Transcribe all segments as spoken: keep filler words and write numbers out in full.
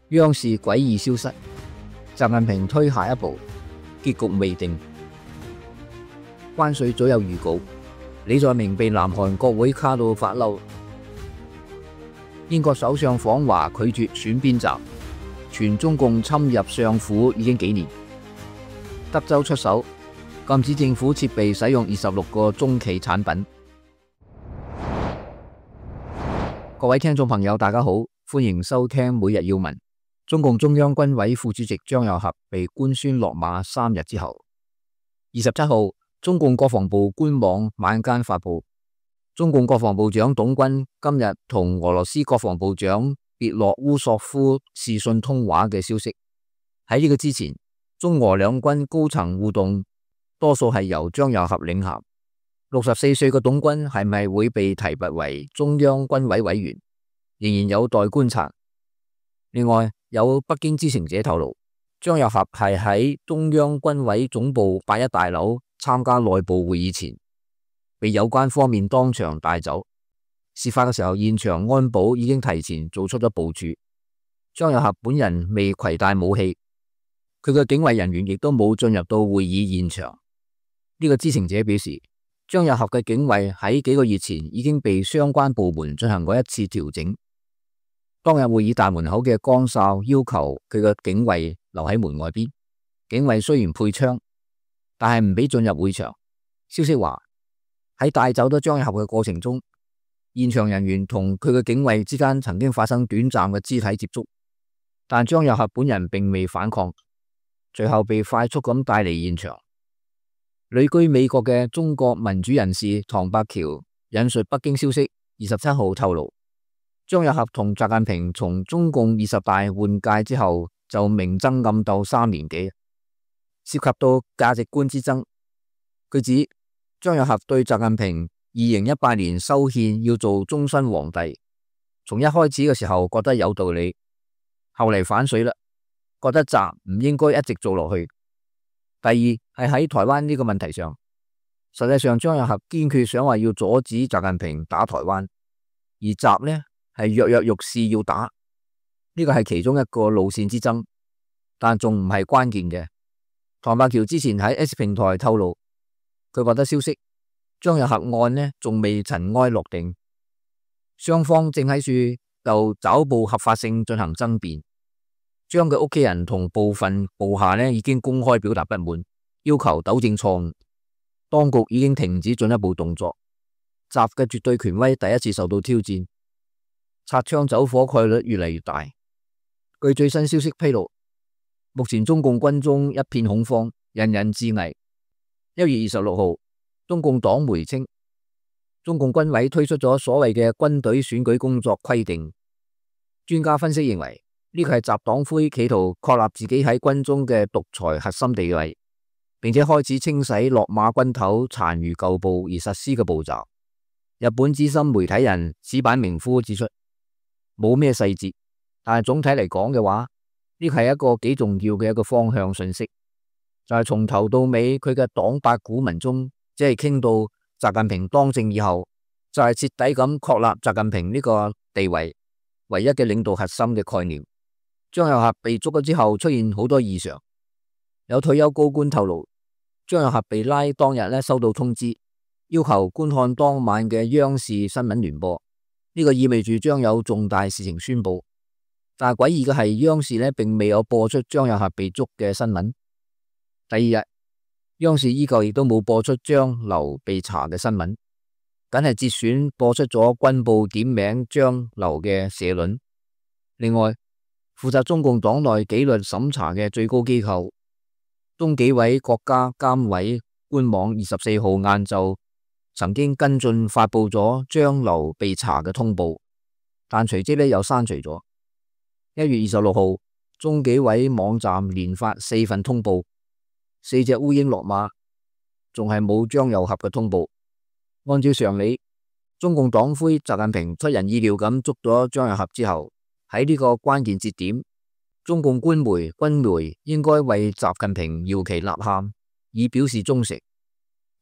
央視詭異消失，習近平推下一步，結局未定。關稅早有預告，李在明被南韓國會卡到發嬲。英國首相訪華拒絕選邊站，傳中共侵入上府已經幾年。德州出手禁止政府設備使用二十六個中企產品。各位聽眾朋友，大家好，歡迎收聽每日要聞。中共中央軍委副主席張又俠被官宣落馬三日之後，二十七號，中共國防部官網晚間發布，中共國防部長董軍今日同俄羅斯國防部長別洛烏索夫視訊通話嘅消息。喺呢個之前，中俄兩軍高層互動多數係由張又俠領銜。六十四歲嘅董軍係咪會被提拔為中央軍委委員，仍然有待觀察。另外，有北京知情者透露，張又俠係喺中央軍委總部八一大樓參加內部會議前，被有關方面當場帶走。事發嘅時候，現場安保已經提前做出咗部署。張又俠本人未攜帶武器，佢嘅警衛人員亦都冇進入到會議現場。呢個知情者表示，張又俠嘅警衛喺幾個月前已經被相關部門進行過一次調整。當日會議大門口嘅崗哨要求佢嘅警衛留喺門外邊，警衛雖然配槍，但係唔俾進入會場。消息話喺帶走咗張又俠嘅過程中，現場人員同佢嘅警衛之間曾經發生短暫嘅肢體接觸，但張又俠本人並未反抗，隨後被快速咁帶離現場。旅居美國嘅中國民主人士唐伯橋引述北京消息，二十七號透露，張又俠同習近平從中共二十大換屆之後就明爭暗鬥三年幾，涉及到價值觀之爭。佢指張又俠對習近平二零一八年修憲要做終身皇帝，從一開始嘅時候覺得有道理，後嚟反水啦，覺得習唔應該一直做落去。第二係喺台灣呢個問題上，實際上張又俠堅決想話要阻止習近平打台灣，而習呢係躍躍欲試要打，呢個係其中一個路線之爭，但仲唔係關鍵嘅。唐伯橋之前喺 X 平台透露，佢獲得消息，張又俠案呢仲未塵埃落定，雙方正喺處就抓捕合法性進行爭辯。張嘅屋企人同部分部下呢已經公開表達不滿，要求糾正錯誤。當局已經停止進一步動作，習嘅絕對權威第一次受到挑戰，擦槍走火概率越嚟越大。據最新消息披露，目前中共軍中一片恐慌，人人自危。一月二十六號，中共黨媒稱，中共軍委推出咗所謂嘅軍隊選舉工作規定。專家分析認為，呢個係習黨魁企圖確立自己喺軍中嘅獨裁核心地位，並且開始清洗落馬軍頭殘餘舊部而實施嘅步驟。日本資深媒體人矢板明夫指出，冇咩細節，但係總體嚟講嘅話，呢個係一個幾重要嘅一個方向信息，就係從頭到尾佢嘅黨八股文中，即係傾到習近平當政以後，就係徹底咁確立習近平呢個地位唯一嘅領導核心嘅概念。張又俠被捉咗之後出現好多異常，有退休高官透露，張又俠被拉當日咧收到通知，要求觀看當晚嘅央視新聞聯播，呢個意味住將有重大事情宣布。但係詭異嘅係，央視咧並未有播出張又俠被捉嘅新聞。第二日，央視依舊亦都冇播出張劉被查嘅新聞，僅係節選播出咗軍報點名張劉嘅社論。另外，負責中共黨內紀律審查嘅最高機構中紀委國家監委官網二十四號晏晝曾經跟進發布咗張劉被查嘅通報，但隨即咧又刪除咗。一月二十六號，中紀委網站連發四份通報，四隻烏蠅落馬，仲係冇張又俠嘅通報。按照常理，中共黨魁習近平出人意料咁捉咗張又俠之後，喺呢個關鍵節點，中共官媒、軍媒應該為習近平搖旗吶喊，以表示忠誠。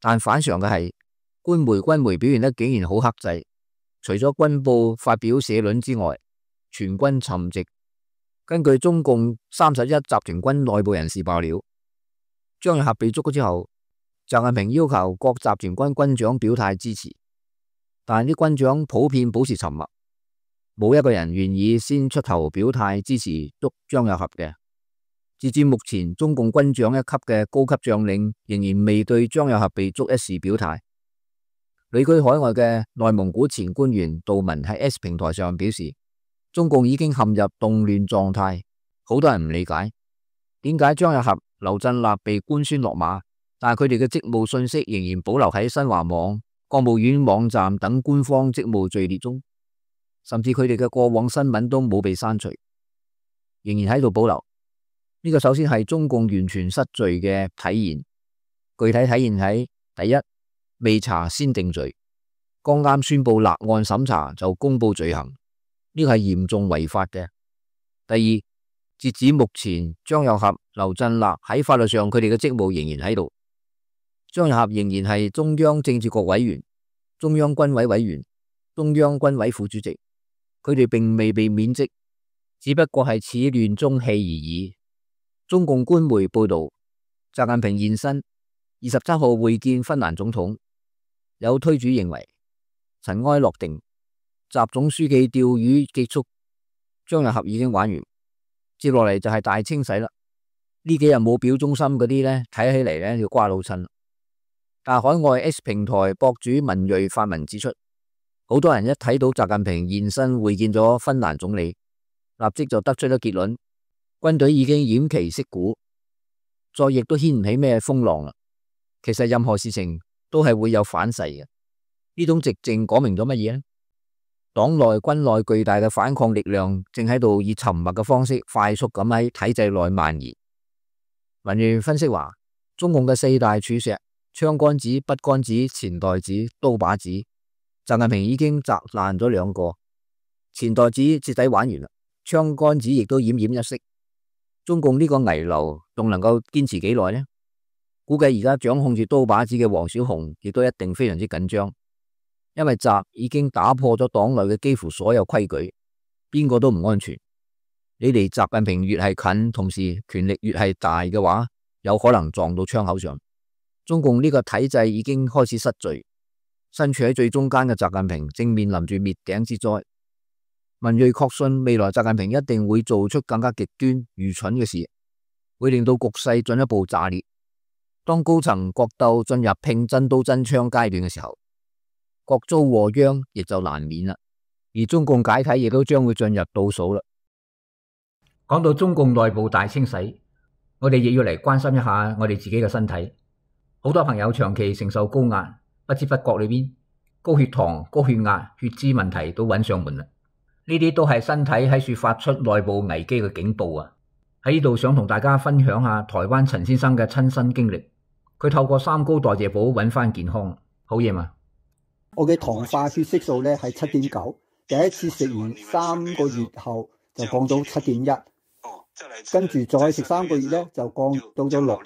但反常嘅係，官媒、軍媒表現得竟然好克制，除咗軍報發表社論之外，全軍沉寂。根據中共三十一集團軍內部人士爆料，張又俠被捉咗之後，習近平要求各集團軍軍長表態支持，但啲軍長普遍保持沉默，冇一個人願意先出頭表態支持捉張又俠嘅。截至目前，中共軍長一級嘅高級將領仍然未對張又俠被捉一事表態。旅居海外嘅內蒙古前官員杜文喺 X 平台上表示，中共已經陷入動亂狀態，好多人唔理解點解張又俠、劉振立被官宣落馬，但係佢哋嘅職務信息仍然保留喺新華網、國務院網站等官方職務序列中，甚至佢哋嘅過往新聞都冇被刪除，仍然喺度保留。呢個首先係中共完全失序嘅體現，具體體現喺第一，未查先定罪，剛啱宣布立案審查就公布罪行，呢個係嚴重違法嘅。第二，截止目前，張又俠、劉振立喺法律上佢哋嘅職務仍然喺度。張又俠仍然係中央政治局委員、中央軍委委員、中央軍委副主席，佢哋並未被免職，只不過係始亂終棄而已。中共官媒報道，習近平現身二十七號會見芬蘭總統，有推主認為塵埃落定，習總書記釣魚結束，張又俠已經玩完，接落嚟就係大清洗啦。呢幾日冇表忠心嗰啲呢，睇起嚟呢要瓜老襯。但海外 X 平台博主文睿發文指出，好多人一睇到習近平現身會見咗芬蘭總理，立即就得出咗結論。軍隊已經偃旗息鼓，再亦都掀唔起咩風浪啦。其實任何事情都係會有反噬嘅。呢種寂靜講明咗乜嘢呢？黨內軍內巨大嘅反抗力量正喺度以沉默嘅方式快速咁喺體制內蔓延。文睿分析話，中共嘅四大柱石槍桿子、筆桿子、錢袋子、刀把子，習近平已經砸爛咗兩個，錢袋子徹底玩完啦，槍桿子亦都奄奄一息。中共呢個危樓仲能夠堅持幾耐呢？估計而家掌控住刀把子嘅王小洪亦都一定非常之緊張，因為習已經打破咗黨內嘅幾乎所有規矩，邊個都唔安全。你離習近平越係近，同時權力越係大嘅話，有可能撞到槍口上。中共呢個體制已經開始失序，身處喺最中間嘅習近平正面臨住滅頂之災。文睿確信未來習近平一定會做出更加極端愚蠢嘅事，會令到局勢進一步炸裂。當高層角鬥進入拼真刀真槍階段嘅時候，各遭禍殃亦就難免啦。而中共解體亦都將會進入倒數啦。講到中共內部大清洗，我哋亦要嚟關心一下我哋自己嘅身體。好多朋友長期承受高壓，不知不覺裏邊高血糖、高血壓、血脂問題都揾上門啦。呢啲都係身體喺處發出內部危機嘅警報啊！喺呢度想同大家分享下台灣陳先生嘅親身經歷。佢透過三高代謝寶揾翻健康，好嘢嘛！我嘅糖化血色素咧係七點九，第一次食完三個月後就降到七點一，跟住再食三個月咧就降到咗六，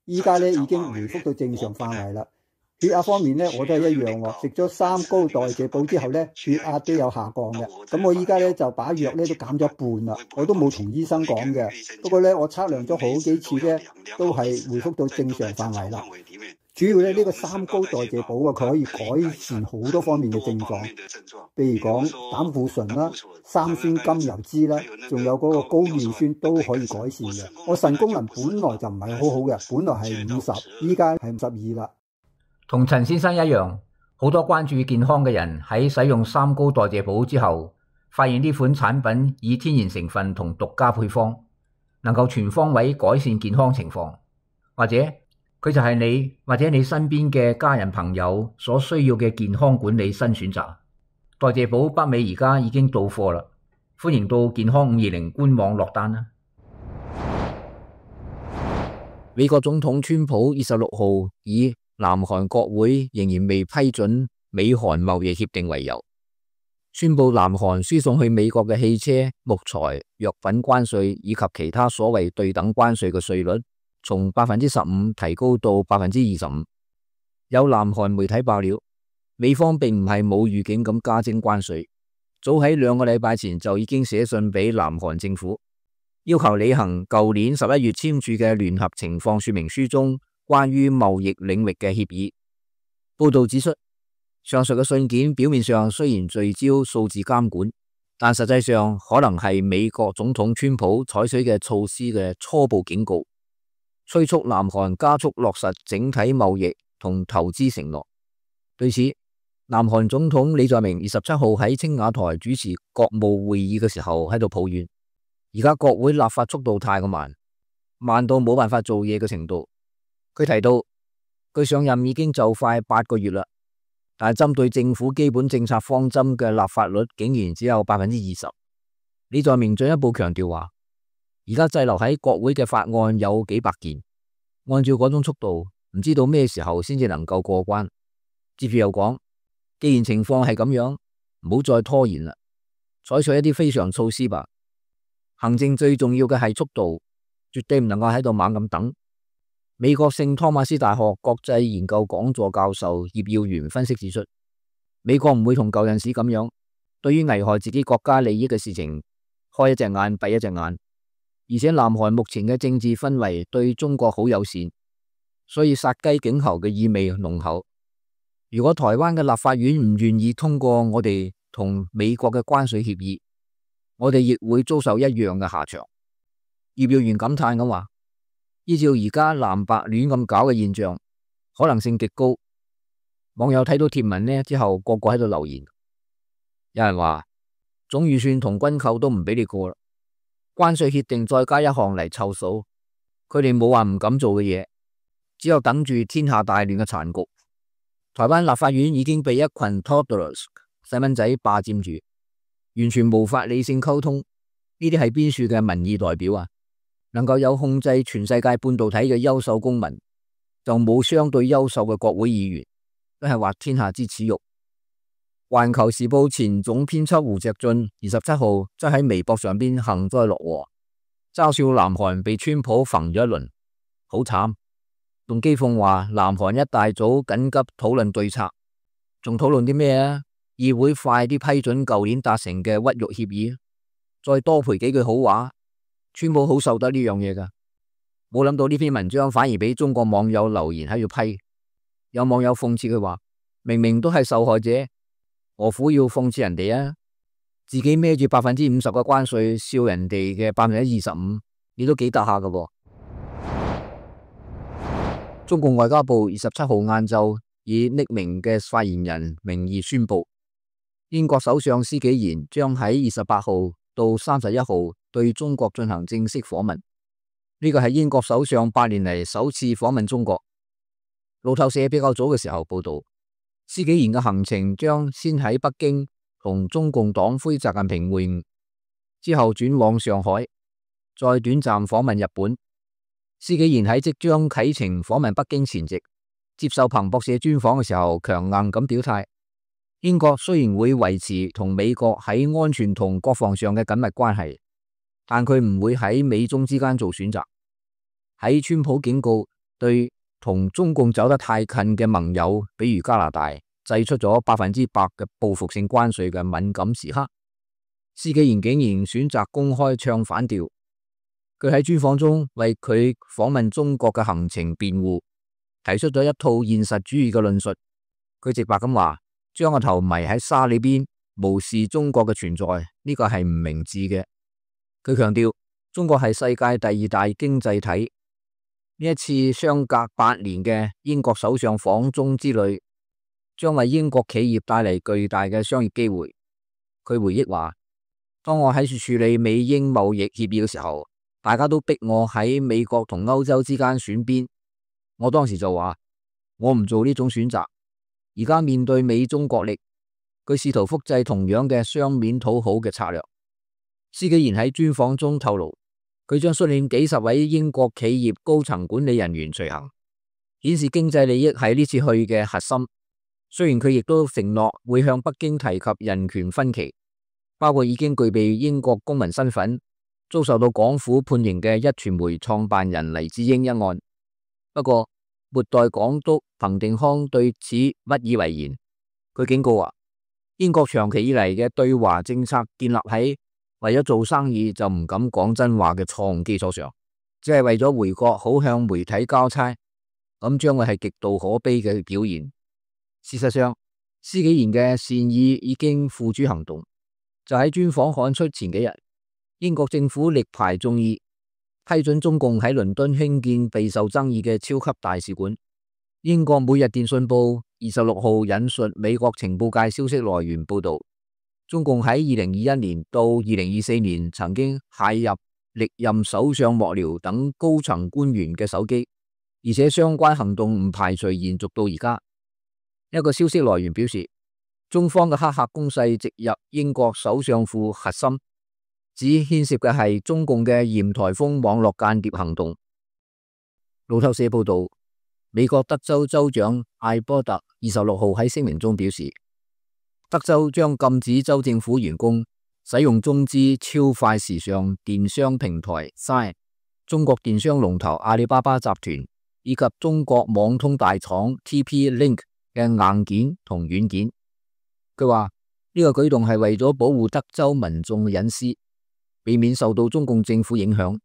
依家咧已經回復到正常範圍啦。血壓方面咧，我都係一樣喎。食咗三高代謝寶之後咧，血壓都有下降嘅。咁我依家咧就把藥咧都減咗一半啦。我都冇同醫生講嘅。不過咧，我測量咗好幾次咧，都係回復到正常範圍啦。主要咧呢個三高代謝寶啊，佢可以改善好多方面嘅症狀，譬如講膽固醇啦、三酸甘油脂啦，仲有嗰個高尿酸都可以改善嘅。我腎功能本來就唔係好好嘅，本來係五十，依家係五十二啦。同陳先生一樣，好多關注健康嘅人喺使用三高代謝寶之後，發現呢款產品以天然成分同獨家配方，能夠全方位改善健康情況，或者佢就係你或者你身邊嘅家人朋友所需要嘅健康管理新選擇。代謝寶北美而家已經到貨啦，歡迎到健康五二零官網落單啦。美國總統川普二十六號以南韓國會仍然未批准美韓貿易協定為由，宣布南韓輸送去美國嘅汽車、木材、藥品關稅以及其他所謂對等關稅嘅稅率，從百分之十五提高到百分之二十五。有南韓媒體爆料，美方並唔係冇預警咁加徵關稅，早喺兩個禮拜前就已經寫信俾南韓政府，要求履行舊年十一月簽署嘅聯合情況說明書中關於貿易領域嘅協議。報道指出，上述嘅信件表面上雖然聚焦數字監管，但實際上可能係美國總統川普採取嘅措施嘅初步警告，催促南韓加速落實整體貿易同投資承諾。對此，南韓總統李在明二十七號喺青瓦台主持國務會議嘅時候喺度抱怨，而家國會立法速度太過慢，慢到冇辦法做嘢嘅程度。佢提到，佢上任已經就快八個月啦，但係針對政府基本政策方針嘅立法率竟然只有百分之二十。李在明進一步強調話，而家滯留喺國會嘅法案有幾百件，按照嗰種速度，唔知道咩時候先至能夠過關。接住又講，既然情況係咁樣，唔好再拖延啦，採取一啲非常措施吧。行政最重要嘅係速度，絕對唔能夠喺度猛咁等。美國聖托馬斯大學國際研究講座教授葉耀元分析指出，美國唔會同舊陣時咁樣，對於危害自己國家利益嘅事情開一隻眼閉一隻眼，而且南韓目前嘅政治氛圍對中國好友善，所以殺雞儆猴嘅意味濃厚。如果台灣嘅立法院唔願意通過我哋同美國嘅關稅協議，我哋亦會遭受一樣嘅下場。葉耀元感嘆咁話，依照而家藍白亂咁搞嘅現象，可能性極高。網友睇到貼文呢之後，個個喺度留言，有人話總預算同軍購都唔俾你過啦，關稅協定再加一項嚟湊數，佢哋冇話唔敢做嘅嘢，只有等住天下大亂嘅殘局。台灣立法院已經被一群 toddlers 細蚊仔霸佔住，完全無法理性溝通。呢啲係邊處嘅民意代表啊？能夠有控制全世界半導體嘅優秀公民，就冇相對優秀嘅國會議員，都係滑天下之恥辱。環球時報前總編輯胡錫進二十七號則喺微博上邊幸災樂禍，嘲笑南韓被川普焚咗一輪，好慘。仲譏諷話南韓一大早緊急討論對策，仲討論啲咩啊？議會快啲批准舊年達成嘅屈辱協議，再多賠幾句好話。川普好受得呢樣嘢噶，冇諗到呢篇文章反而俾中國網友留言喺度批。有網友諷刺佢話，明明都係受害者，何苦要諷刺人哋啊？自己孭住百分之五十嘅關稅，笑人哋嘅百分之二十五，你都幾得下噶噃。中共外交部二十七號晏晝以匿名嘅發言人名義宣布，英國首相施紀賢將喺二十八號到三十一號對中國進行正式訪問。呢個係英國首相八年嚟首次訪問中國。路透社比較早嘅時候報道，施紀賢嘅行程將先喺北京同中共黨魁習近平會晤，之後轉往上海，再短暫訪問日本。施紀賢喺即將啟程訪問北京前夕，接受彭博社專訪嘅時候，強硬咁表態，英國雖然會維持同美國喺安全同國防上嘅緊密關係，但佢唔會喺美中之間做選擇。喺川普警告對同中共走得太近嘅盟友，比如加拿大，祭出咗百分之百嘅報復性關稅嘅敏感時刻，施紀賢竟然選擇公開唱反調。佢喺專訪中為佢訪問中國嘅行程辯護，提出咗一套現實主義嘅論述。佢直白咁話，將個頭埋喺沙裏邊，無視中國嘅存在，呢個係唔明智嘅。佢強調，中國係世界第二大經濟體。呢一次相隔八年嘅英國首相訪中之旅，將為英國企業帶嚟巨大嘅商業機會。佢回憶話，當我喺處處理美英貿易協議嘅時候，大家都逼我喺美國同歐洲之間選邊，我當時就話我唔做呢種選擇。而家面對美中角力，佢試圖複製同樣嘅雙面討好嘅策略。施紀賢喺專訪中透露，佢將率領幾十位英國企業高層管理人員隨行，顯示經濟利益係呢次去嘅核心。雖然佢亦都承諾會向北京提及人權分歧，包括已經具備英國公民身份，遭受到港府判刑嘅壹傳媒創辦人黎智英一案。不過末代港督彭定康對此不以為然。佢警告話，英國長期以嚟嘅對華政策建立喺為咗做生意就唔敢講真話嘅錯誤基礎上，只係為咗回國好向媒體交差，咁將會係極度可悲嘅表現。事實上，施紀賢嘅善意已經付諸行動。就喺專訪刊出前幾日，英國政府力排眾議，批准中共喺倫敦興建備受爭議嘅超級大使館。英國每日電訊報二十六號引述美國情報界消息來源報道，中共喺二零二一年到二零二四年曾經駭入歷任首相幕僚等高層官員嘅手機，而且相關行動唔排除延續到而家。一個消息來源表示，中方嘅黑客攻勢直入英國首相府核心，只牽涉嘅係中共嘅鹽台風網絡間諜行動。路透社報道，美國德州州長艾波特二十六號喺聲明中表示，德州將禁止州政府員工使用中資超快時尚電商平台 Shine、中國電商龍頭阿里巴巴集團以及中國網通大廠 T P Link 嘅硬件同軟件。佢話呢個舉動係為咗保護德州民眾嘅隱私，避免受到中共政府影響。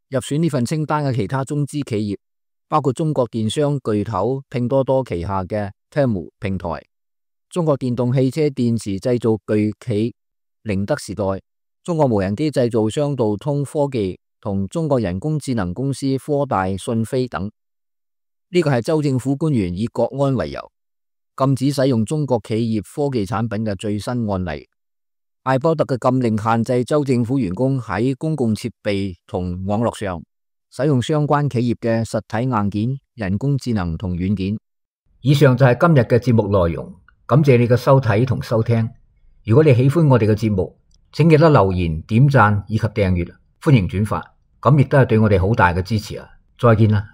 入選呢份清單嘅其他中資企業包括中國電商巨頭拼多多旗下嘅 Temu 平台、中國電動汽車電池製造巨企寧德時代、中國無人機製造商道通科技同中國人工智能公司科大訊飛等。呢個係州政府官員以國安為由禁止使用中國企業科技產品嘅最新案例。艾波特嘅禁令限制州政府員工喺公共設備同網絡上使用相關企業嘅實體硬件、人工智能同軟件。以上就係今日嘅節目內容，感謝你嘅收睇同收聽。如果你喜歡我哋嘅節目，請記得留言、點讚以及訂閱，歡迎轉發，咁亦都係對我哋好大嘅支持啊！再見啦。